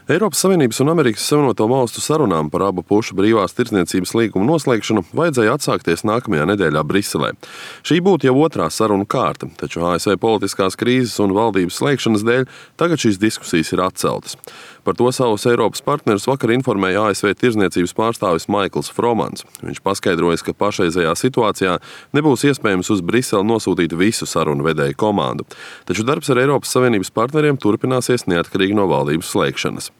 Eiropas Savienības un Amerikas Savienoto Valstu sarunām par abu pušu brīvās tirdzniecības līgumu noslēgšanu vajadzēja atsākties nākamajā nedēļā Briselē. Šī būtu jau otrā sarunu kārta, taču ASV politiskās krīzes un valdības slēgšanas dēļ tagad šīs diskusijas ir atceltas. Par to savus Eiropas partnerus vakar informēja ASV tirdzniecības pārstāvis Maikls Fromans. Viņš paskaidroja, ka pašreizējā situācijā nebūs iespējams uz Briseli nosūtīt visu sarunu vedēju komandu, taču darbs ar Eiropas Savienības partneriem turpināsies neatkarīgi no valdības slēgšanas.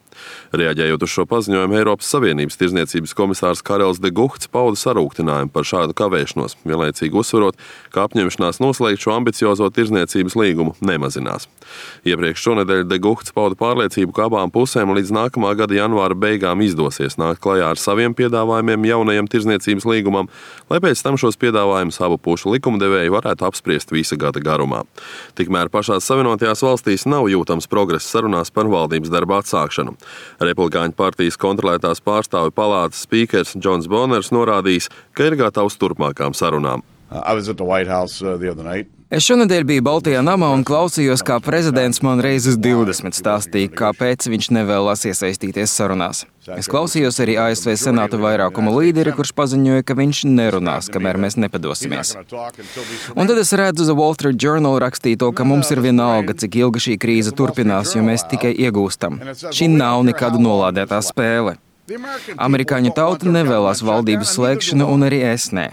Reaģējot uz šo paziņojumu, Eiropas Savienības tirdzniecības komisārs Karels de Guhts pauda sarūktinājumu par šādu kavēšanos, vienlaicīgi uzsverot, ka apņemšanās noslēgt šo ambiciozo tirdzniecības līgumu nemazinās. Iepriekš šonedēļ de Guhts pauda pārliecību, ka abām pusēm līdz nākamā gada janvāra beigām izdosies nākt klajā ar saviem piedāvājumiem jaunajam tirdzniecības līgumam, lai pēc tam šos piedāvājumus abu pušu likumdevēji varētu apspriest visa gada garumā. Tikmēr pašās Savienotajās valstīs nav jūtams progress sarunās par valdības darba atsākšanu. Republikāņu partijas kontrolētās pārstāvju palātas spīkers Džons Boners norādījis, ka ir gatavs turpmākām sarunām. Es šonedēļ biju Baltijā namā un klausījos, kā prezidents man reizes 20 stāstīja, kāpēc viņš nevēlas iesaistīties sarunās. Es klausījos arī ASV Senāta vairākuma līderi, kurš paziņoja, ka viņš nerunās, kamēr mēs nepadosimies. Un tad es redzu The Wall Street Journal rakstīto, ka mums ir vienalga, cik ilga šī krīze turpinās, jo mēs tikai iegūstam. Šī nav nekāda nolādētā spēle. Amerikāņu tauta nevēlas valdības slēgšanu un arī es ne.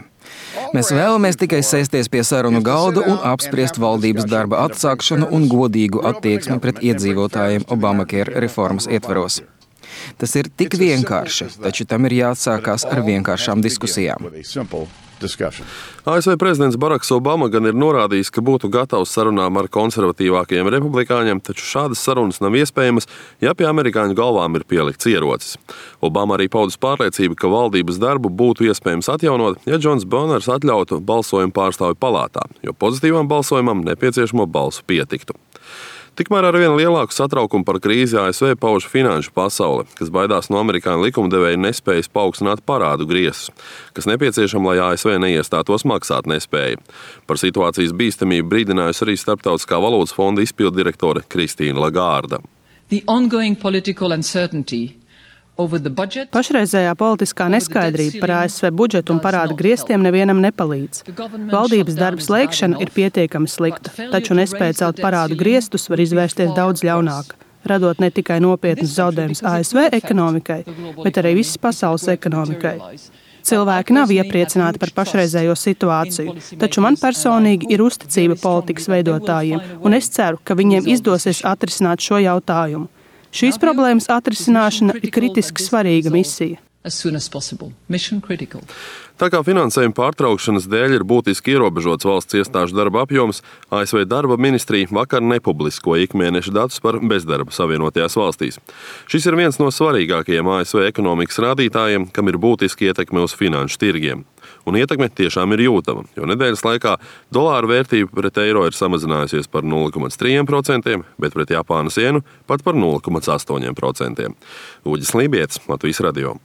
Mēs vēlamies tikai sēsties pie sarunu galda un apspriest valdības darba atsākšanu un godīgu attieksmi pret iedzīvotājiem Obamacare reformas ietvaros. Tas ir tik vienkārši, taču tam ir jāatsākās ar vienkāršām diskusijām. ASV prezidents Baraks Obama gan ir norādījis, ka būtu gatavs sarunām ar konservatīvākajiem republikāņiem, taču šādas sarunas nav iespējamas, ja pie amerikāņu galvām ir pielikts ierocis. Obama arī paudis pārliecību, ka valdības darbu būtu iespējams atjaunot, ja Džons Boners atļautu balsojumu pārstāvju palātā, jo pozitīvam balsojumam nepieciešamo balsu pietiktu. Tikmēr ar vien lielāku satraukumu par krīzi ASV pauž finanšu pasaule, kas baidās no amerikāņu likumdevēja nespējas paaugstināt parādu griestus, kas nepieciešama, lai ASV neiestātos maksāt nespēja. Par situācijas bīstamību brīdinājusi arī Starptautiskā valūtas fonda izpilddirektore Kristīna Lagārda. Pašreizējā politiskā neskaidrība par ASV budžetu un parādu griestiem nevienam nepalīdz. Valdības darba slēgšana ir pietiekami slikta, taču nespēja celt parādu griestus var izvērsties daudz ļaunāk, radot ne tikai nopietnas zaudējumus ASV ekonomikai, bet arī visas pasaules ekonomikai. Cilvēki nav iepriecināti par pašreizējo situāciju, taču man personīgi ir uzticība politikas veidotājiem, un es ceru, ka viņiem izdosies atrisināt šo jautājumu. Šīs problēmas atrisināšana ir kritiski svarīga misija. Tā kā finansējuma pārtraukšanas dēļ ir būtiski ierobežots valsts iestāžu darba apjoms, ASV darba ministrija vakar nepubliskoja ikmēneša datus par bezdarbu Savienotajās valstīs. Šis ir viens no svarīgākajiem ASV ekonomikas rādītājiem, kam ir būtiski ietekme uz finanšu tirgiem. Un ietekme tiešām ir jūtama, jo nedēļas laikā dolāra vērtība pret eiro ir samazinājusies par 0,3%, bet pret Japānas ienu pat par 0,8%. Uģis Lībietis, Latvijas radio.